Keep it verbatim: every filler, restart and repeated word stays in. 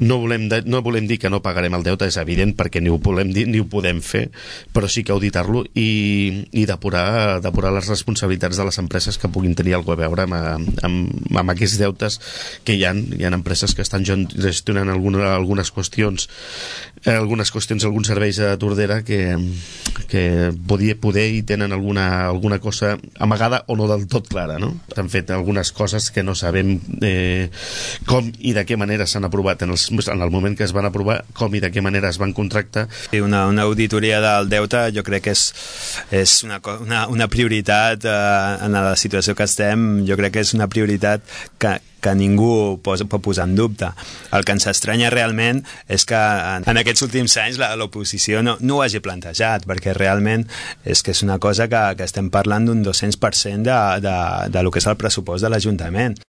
no volem, de, no volem dir que no pagarem el deute, és evident, perquè ni ho volem dir ni ho podem fer, però sí que auditar-lo i, i depurar, depurar les responsabilitats de les empreses que puguin tenir alguna cosa a veure amb, amb, amb aquests deutes que hi ha. Hi ha empreses que estan gestionant alguna, algunes qüestions eh, algunes qüestions, alguns serveis a Tordera que, que poder, poder i tenen alguna, alguna cosa amagada o no del tot clara, no? Han fet algunes coses que no sabem eh, com i de què manera s'han aprovat en, els, en el moment que es van aprovar, com i de què manera es van contractar. Una, una auditoria del deute jo crec que és, és una, una, una prioritat eh, en la situació que estem, jo crec que és una prioritat que, que ningú posa, pot posar en dubte. El que ens estranya realment és que en, en aquests últims anys l'oposició no, no ho hagi plantejat, perquè realment és que és una cosa que, que estem parlant d'un dos-cents per cent de, de, de lo que és el pressupost de l'Ajuntament.